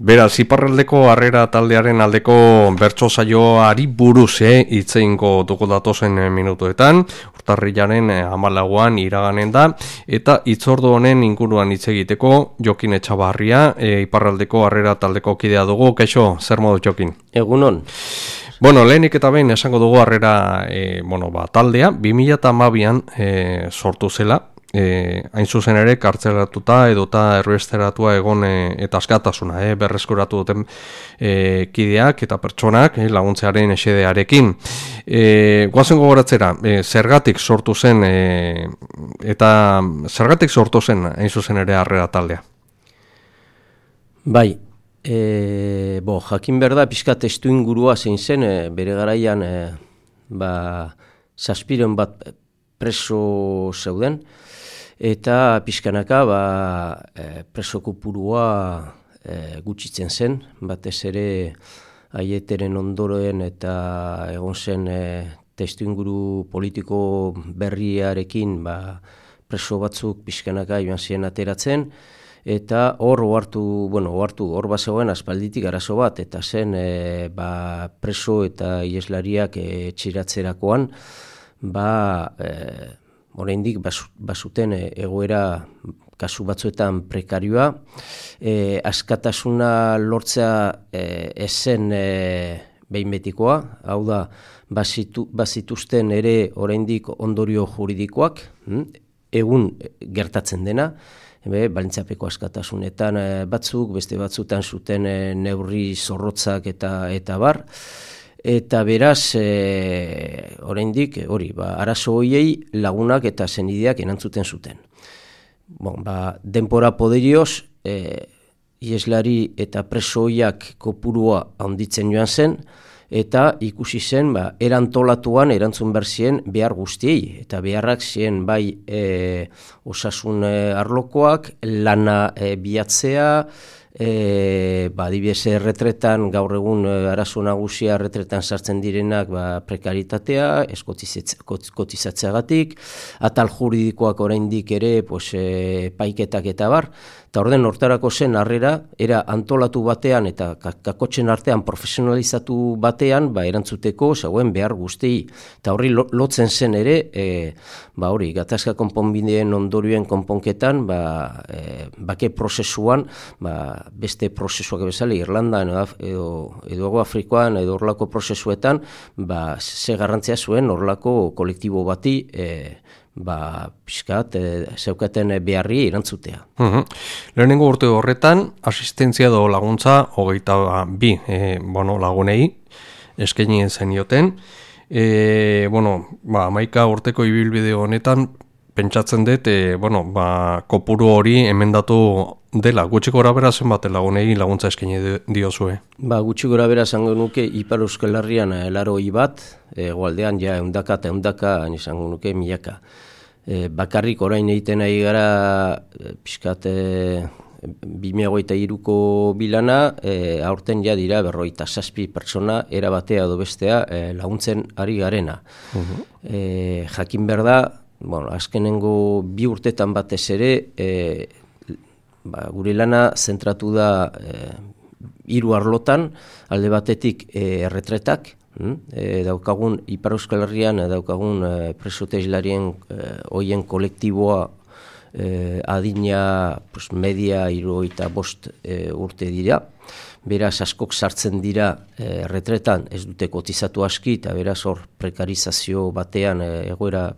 Beraz, iparraldeko harrera taldearen aldeko bertso saioari buruz hitz egingo dugu datozen minutuetan, urtarrilaren 14 iraganen da, eta hitzordu honen inguruan hitz egiteko Jokin Etxabarria, iparraldeko harrera taldeko kidea dugu. Kaixo, zer modu Jokin? Egunon. Bueno, lehenik eta behin esango dugu harrera taldea 2012an sortu zela. Hain zuzen ere kartzelaratuta edota erruesteratua egon eta askatasuna berreskuratu duten kideak eta pertsonak laguntzearen esedearekin. Goazen gogoratzera, zergatik sortu zen eta zergatik sortu zen hain zuzen ere harrera taldea? Bai, jakin behar da pixka testu ingurua zein zen, bere garaian 700 bat preso zeuden, eta pixkanaka preso kopurua gutxitzen zen, batez ere Aieteren ondoren eta egon zen testu inguru politiko berriarekin preso batzuk pixkanaka joan ziren ateratzen, eta hor bazegoen aspalditik arazo bat, eta zen preso eta ieslariak etxeratzerakoan, oraindik bazuten egoera kasu batzuetan prekarioa, askatasuna lortzea ezen behin betikoa, hau da, bazituzten ere oraindik ondorio juridikoak, egun gertatzen dena, baldintzapeko askatasunetan batzuk, beste batzutan zuten neurri zorrotzak eta bar, eta beraz, oraindik arazo horiei lagunak eta senideak erantzuten zuten. Denpora poderioz, ieslari eta preso horiak kopurua handitzen joan zen, eta ikusi zen, erantolatuan erantzun behar ziren behar guztiei, eta beharrak ziren bai osasun arlokoak, lana bilatzea, adibidez erretretan, gaur egun arazo nagusia erretretan sartzen direnak prekaritatea, ez kotizatzeagatik, atal juridikoak oraindik ere paiketak eta bar, eta orden hortarako zen harrera, era antolatu batean eta kakotzen artean profesionalizatu batean erantzuteko zauen behar guztiei. Eta horri lotzen zen ere, gatazka konponbideen ondorioen konponketan, bake prozesuan, beste prozesuak bezala, Irlandan edo Afrikoan edo horlako prozesuetan, ze garrantzia zuen horlako kolektibo bati pixkat zeukaten beharri erantzutea. Lehenengo urte horretan, asistentzia edo laguntza 22 lagunei eskaini zenioten. 11 urteko ibilbide honetan pentsatzen dut, kopuru hori emendatu dela. Gutxi gorabehera zenbat lagunei laguntza eskaini diozue? Gutxi gorabehera zango nuke Ipar Euskal Herrian 80 bat, hegoaldean ehundaka, izango nuke milaka. Bakarrik orain egiten ari gara pixkat 2023ko bilana, aurten ja dira 57 pertsona erabatea edo bestea laguntzen ari garena. Jakin behar da, azkenengo 2 urtetan batez ere, gure lana zentratu da 3 arlotan, alde batetik erretretak, daukagun Ipar Euskal Herrian daukagun preso eta islarien hoien kolektiboa adina media 75 urte dira. Beraz askok sartzen dira erretretan, ez dute kotizatu aski, eta beraz hor prekarizazio batean, egoera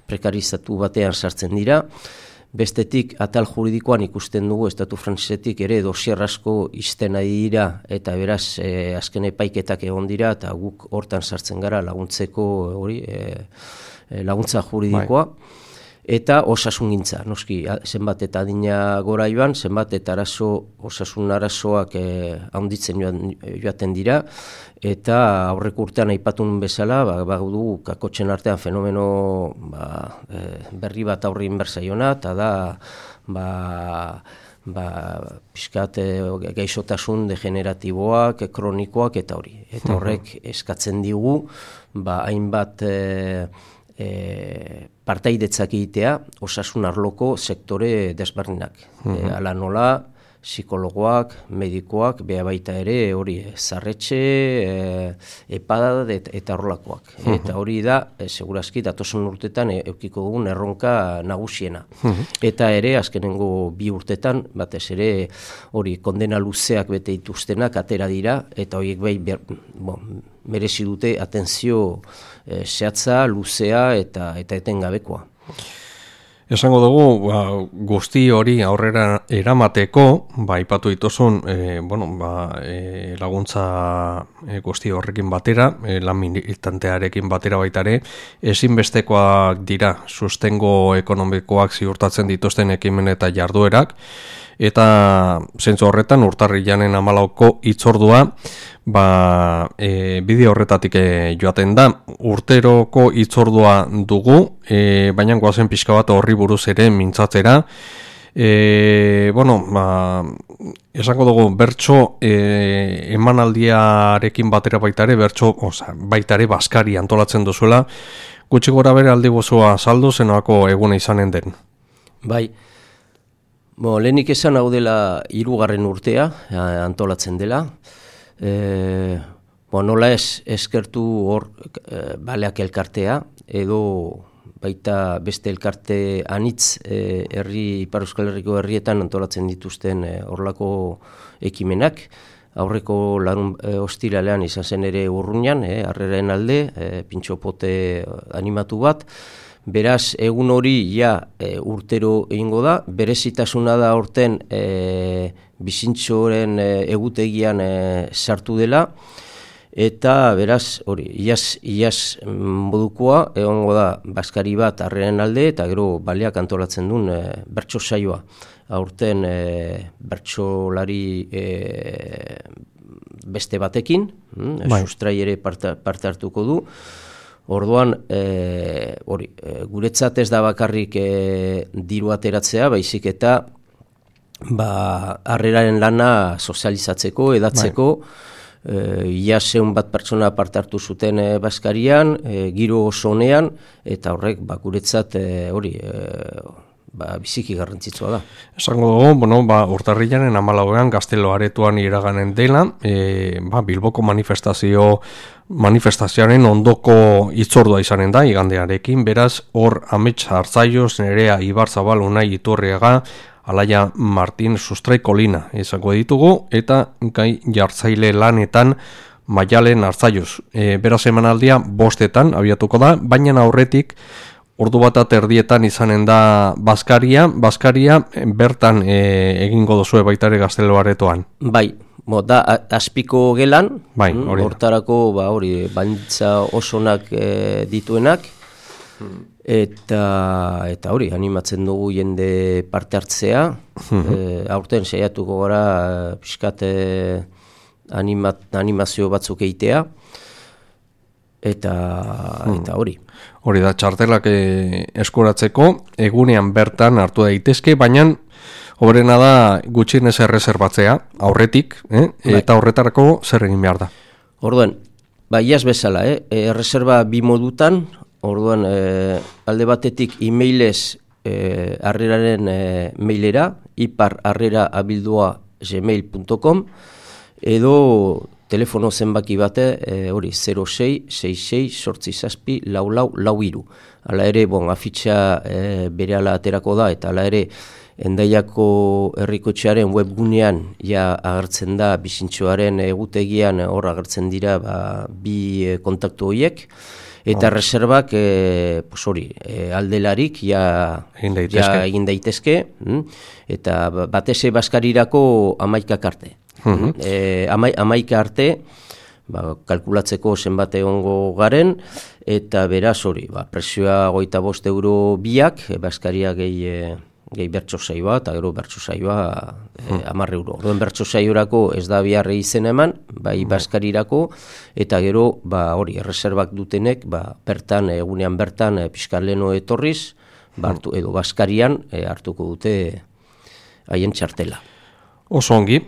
prekarizatu batean sartzen dira. Bestetik, atal juridikoan ikusten dugu, estatu frantsesetik ere dosier asko izten ari dira, eta beraz azken epaiketak egon dira, eta guk hortan sartzen gara laguntzeko laguntza juridikoa. Eta osasungintza, noski, zenbat eta adina gora joan, zenbat eta osasun arazoak handitzen joaten dira, eta aurreko urtean aipatun bezala, dugu kakotzen artean fenomeno berri bat aurri inbersaiona, eta da pixkat gaixotasun degeneratiboak, kronikoak eta hori. Eta horrek eskatzen digu, hainbat partaidetzak egitea osasun arloko sektore desberdinak. Hala nola, psikologoak, medikoak, beha baita ere hori zarretxe, epada eta horrelakoak. Eta hori da, segurazki, datozen urtetan eukiko dugun erronka nagusiena. Eta ere, azkenengo 2 urtetan, batez ere hori kondena luzeak bete dituztenak atera dira, eta horiek bai merezi dute atentzio zehatza, luzea eta etengabekoa. Esango dugu, guzti hori aurrera eramateko, aipatu dituzun, laguntza guzti horrekin batera, lan militantearekin batera baitare, ezinbestekoak dira sustengo ekonomikoak ziurtatzen dituzten ekimen eta jarduerak, eta zentzu horretan urtarrilanen 14ko hitzordua bide horretatik joaten da. Urteroko hitzordua dugu, baina goazen pixka bat horri buruz ere mintzatzera. Esango dugu bertso emanaldiarekin batera baitare, baitare Baskari antolatzen duzuela, gutxi gora bere aldi gozua saldu zenako eguna izanen den. Bai, lehenik esan hau dela 3. urtea antolatzen dela. Nola eskertu hor baleak elkartea, edo baita beste elkarte anitz Ipar Euskal Herriko herrietan antolatzen dituzten horlako ekimenak. Aurreko ostiralean izan zen ere Urruñan, Harreraren alde, pintxopote animatu bat. Beraz, egun hori urtero egingo da, berezitasuna da horten bizintxoren egutegian sartu dela, eta beraz, hori, iaz modukoa, egongo da Baskari bat Harreraren alde, eta gero baleak antolatzen duen bertso saioa. Aurten bertsolari beste batekin, sustrai ere parte hartuko du. Orduan, guretzat ez da bakarrik diru ateratzea, baizik eta Harreraren lana sozializatzeko, edatzeko, ia 100 bat pertsona parte hartu zuten Baskarian, giro oso honean, eta horrek guretzat biziki garrantzitsua da. Esango dugu, urtarrilaren 14ean Gaztelo Aretoan iraganen dela, Bilboko manifestazioaren ondoko hitzordua izanen da, igandearekin, beraz, hor Amets Artzaioz, Nerea Ibarzabal, Unai Iturriaga, Alaia Martin, Sustrai Kolina izango ditugu, eta gai jartzaile lanetan Maialen Artzaioz. Beraz emanaldia 5etan abiatuko da, baina aurretik ordu bat erdietan izanen da Baskaria bertan egingo duzue baitare Gaztelo Aretoan. Bai, da azpiko gelan, hortarako baldintza osonak dituenak, eta hori, animatzen dugu jende parte hartzea, aurten saiatuko gara pixkat animazio batzuk eitea, eta hori. Hori da, txartelak eskuratzeko, egunean bertan hartu daitezke, baina hoberena da gutxienez erreserbatzea, aurretik, eta horretarako zer egin behar da. Orduan, iaz bezala, erreserba 2 modutan, orduan alde batetik e-mailez Harreraren mailera, iparharrera@gmail.com, edo telefono zenbaki bate, hori 06-66-8-7-44-43. Hala ere, afitxa berehala aterako da, eta hala ere, Hendaiako herrikotxearen webgunean agertzen da bizintxoaren egutegian hor agertzen dira 2 kontaktu horiek, eta reservak aldelarik egin daitezke, eta batez Baskarirako 11 arte. 11 arte, kalkulatzeko zenbat egongo garen, eta beraz hori, presioa 25 euro biak, Baskaria gehi bertso saioa, eta gero bertso saioa 10 euro. Orduan bertso saiorako ez da biharre izen eman, Baskarirako, eta gero hori, erreserbak dutenek, bertan, egunean bertan, pixkar leheno etorriz, edo Baskarian hartuko dute haien txartela. Oso ongi,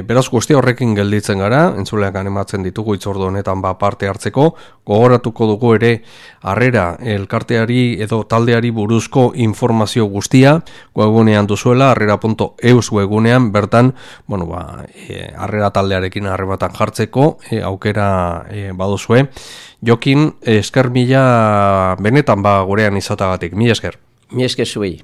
Beraz guzti horrekin gelditzen gara, entzuleak animatzen ditugu itzordu honetan parte hartzeko, gogoratuko dugu ere harrera elkarteari edo taldeari buruzko informazio guztia, webgunean duzuela, harrera.eus webgunean, bertan, harrera taldearekin harrematan jartzeko, aukera baduzue. Jokin, esker mila benetan gurean izatagatik, mila esker. Mila esker zuei.